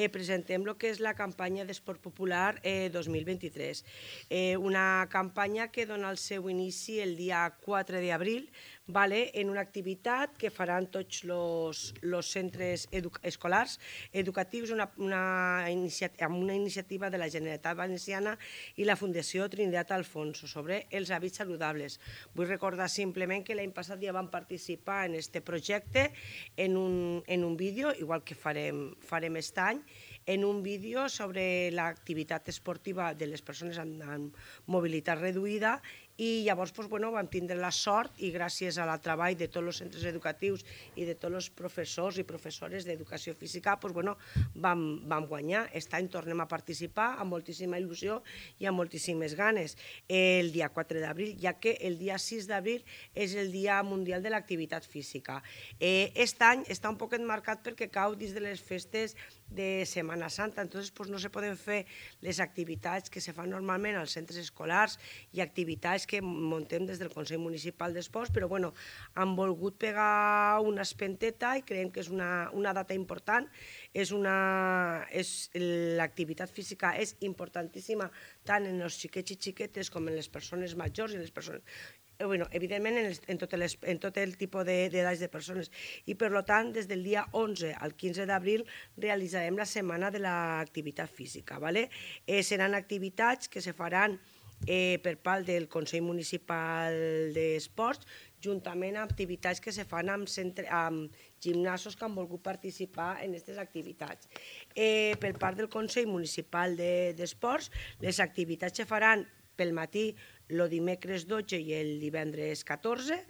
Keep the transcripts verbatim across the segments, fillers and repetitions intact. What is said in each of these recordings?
presentem el que és la campanya d'Esport Popular dos mil vint-i-tres. Una campanya que dona el seu inici el dia quatre d'abril en una activitat que faran tots els centres escolars educatius amb una iniciativa de la Generalitat Valenciana i la Fundació Trinitat Alfonso sobre els hàbits saludables. Vull recordar simplement que l'any passat ja vam participar en aquest projecte en un vídeo, igual que farem aquest any, en un vídeo sobre l'activitat esportiva de les persones amb mobilitat reduïda i llavors vam tindre la sort i gràcies al treball de tots els centres educatius i de tots els professors i professores d'educació física vam guanyar. Aquest any tornem a participar amb moltíssima il·lusió i amb moltíssimes ganes el dia quatre d'abril, ja que el dia sis d'abril és el Dia Mundial de l'Activitat Física. Aquest any està un poc enmarcat perquè cau dins de les festes de Setmana Santa, entonces no se poden fer les activitats que se fan normalment als centres escolars i activitats que muntem des del Consell Municipal d'Esports, però bueno, han volgut pegar una espenteta i creiem que és una data important. L'activitat física és importantíssima tant en els xiquets i xiquetes com en les persones majors i les persones evidentment en tot el tipus d'edats de persones i per tant des del dia onze al quinze d'abril realitzarem la setmana de l'activitat física. Seran activitats que se faran per part del Consell Municipal d'Esports juntament amb activitats que se fan amb gimnasos que han volgut participar en aquestes activitats. Per part del Consell Municipal d'Esports les activitats se faran pel matí el dimecres dotze i el divendres catorze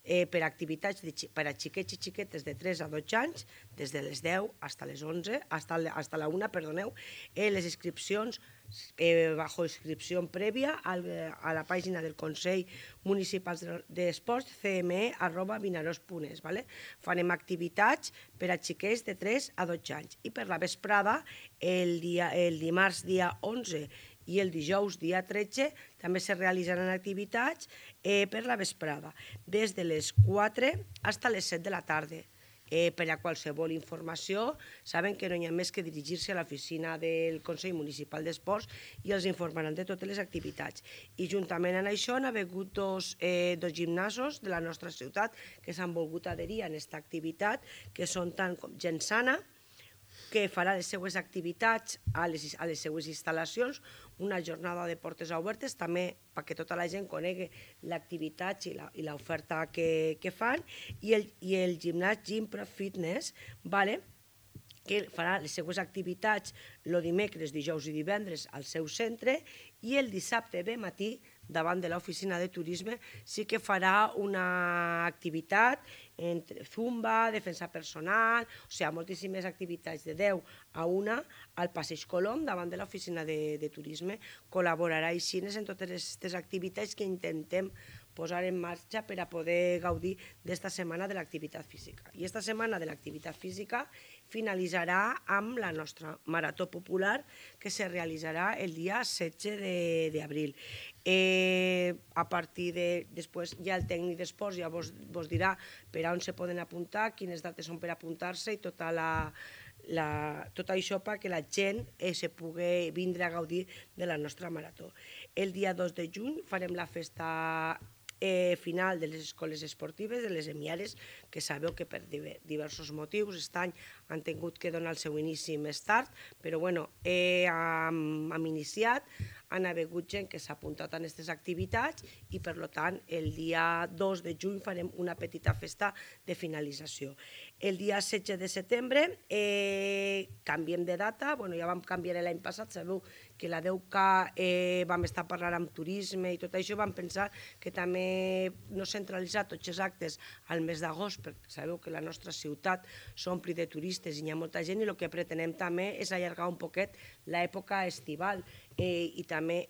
per activitats per a xiquets i xiquetes de tres a dotze anys, des de les deu fins a les onze, fins a la una, perdoneu, les inscripcions bajo inscripció prèvia a la pàgina del Consell Municipal d'Esports c m e arroba vinaròs punt es. Farem activitats per a xiquets de tres a dotze anys i per la vesprada, el dimarts dia onze i el dijous dia tretze també se realitzaran activitats per la vesprada, des de les quatre fins a les set de la tarda. Per a qualsevol informació, saben que no hi ha més que dirigir-se a l'oficina del Consell Municipal d'Esports i els informaran de totes les activitats. I juntament amb això han hagut dos gimnasos de la nostra ciutat que s'han volgut adherir a aquesta activitat, que són tant com Gent Sana, que farà les seues activitats a les seues instal·lacions, una jornada de portes obertes, també perquè tota la gent conegui l'activitat i l'oferta que fan, i el gimnàs Gimpro Fitness, que farà les seues activitats el dimecres, dijous i divendres al seu centre, i el dissabte de matí, davant de l'oficina de turisme, sí que farà una activitat entre zumba, defensa personal, o sigui, moltíssimes activitats de deu a una al Passeig Colom, davant de l'oficina de turisme. Col·laborarà així en totes aquestes activitats que intentem posar en marxa per a poder gaudir d'esta setmana de l'activitat física. I esta setmana de l'activitat física finalitzarà amb la nostra marató popular que se realitzarà el dia setze d'abril. A partir de... Després ja el tècnic d'esports ja vos dirà per on se poden apuntar, quines dates són per apuntar-se i tot això perquè la gent se pugui vindre a gaudir de la nostra marató. El dia dos de juny farem la festa final de les escoles esportives, de les EMIARES, que sabeu que per diversos motius aquest any han tingut que donar el seu inici més tard, però bueno, hem iniciat, han hagut gent que s'ha apuntat a aquestes activitats i per tant el dia dos de juny farem una petita festa de finalització. El dia setze de setembre canviem de data, ja vam canviar l'any passat, sabeu que la deu K vam estar parlant amb turisme i tot això, vam pensar que també no centralitzar tots els actes al mes d'agost, perquè sabeu que la nostra ciutat s'ompli de turistes i hi ha molta gent i el que pretenem també és allargar un poquet l'època estival i també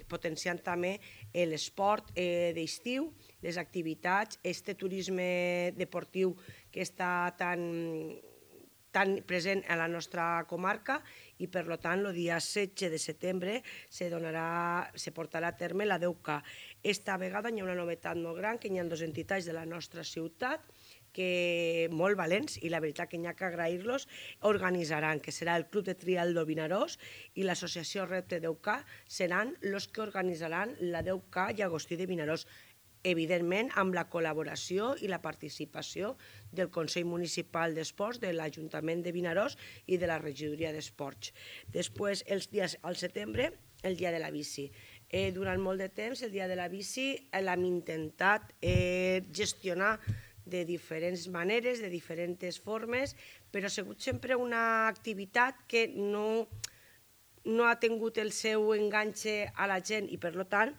potenciant també l'esport d'estiu, les activitats, este turisme deportiu que està tan present a la nostra comarca i per tant el dia setze de setembre se portarà a terme la deu K. Esta vegada hi ha una novetat molt gran, que hi ha dues entitats de la nostra ciutat que molt valents, i la veritat que n'hi ha que agrair-los, organitzaran, que serà el Club de Trialdo Vinaròs i l'Associació Repte deu K seran els que organitzaran la deu K Llagostí de Vinaròs, evidentment amb la col·laboració i la participació del Consell Municipal d'Esports, de l'Ajuntament de Vinaròs i de la Regidoria d'Esports. Després, els dies al setembre, el dia de la bici. Eh, durant molt de temps, el dia de la bici l'hem intentat eh, gestionar de diferents maneres, de diferents formes, però ha sigut sempre una activitat que no, no ha tingut el seu enganxe a la gent i, per tant,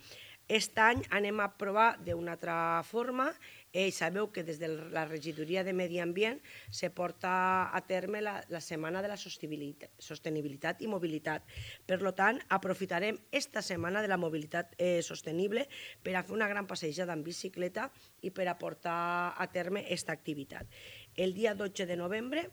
aquest any anem a provar d'una altra forma. Eh, sabeu que des de la Regidoria de Medi Ambient se porta a terme la, la Setmana de la Sostenibilitat, Sostenibilitat i Mobilitat. Per tant, aprofitarem esta Setmana de la Mobilitat eh, Sostenible per a fer una gran passejada en bicicleta i per a portar a terme aquesta activitat. El dia dotze de novembre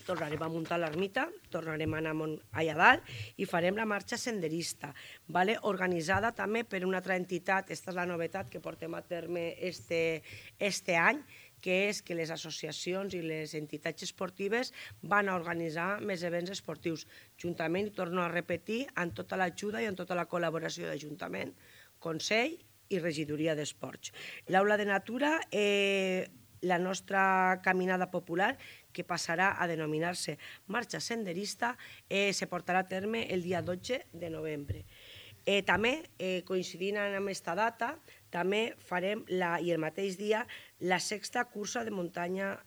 tornarem a muntar l'ermita, tornarem a anar allà dalt i farem la marxa senderista, vale? Organitzada també per una altra entitat. Aquesta és la novetat que portem a terme este, este any, que és que les associacions i les entitats esportives van a organitzar més events esportius, juntament, i torno a repetir, amb tota l'ajuda i amb tota la col·laboració d'Ajuntament, Consell i Regidoria d'Esports. L'Aula de Natura, eh, la nostra caminada popular, que passarà a denominar-se Marxa Senderista, eh, se portarà a terme el dia dotze de novembre. Eh, també, eh, coincidint amb aquesta data, també farem, la, i el mateix dia, la sexta cursa de muntanya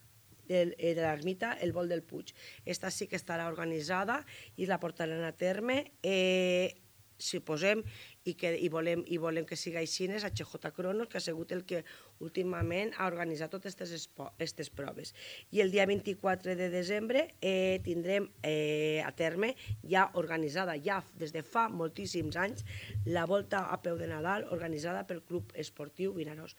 de, de l'ermita, el Vol del Puig. Esta sí que estarà organitzada i la portaran a terme. Eh, si posem i, que, i, volem, i volem que siga així, és H J Cronos, que ha sigut el que últimament ha organitzat totes aquestes proves. I el dia vint-i-quatre de desembre eh, tindrem eh, a terme, ja organitzada ja des de fa moltíssims anys, la Volta a peu de Nadal, organitzada pel Club Esportiu Vinaròs.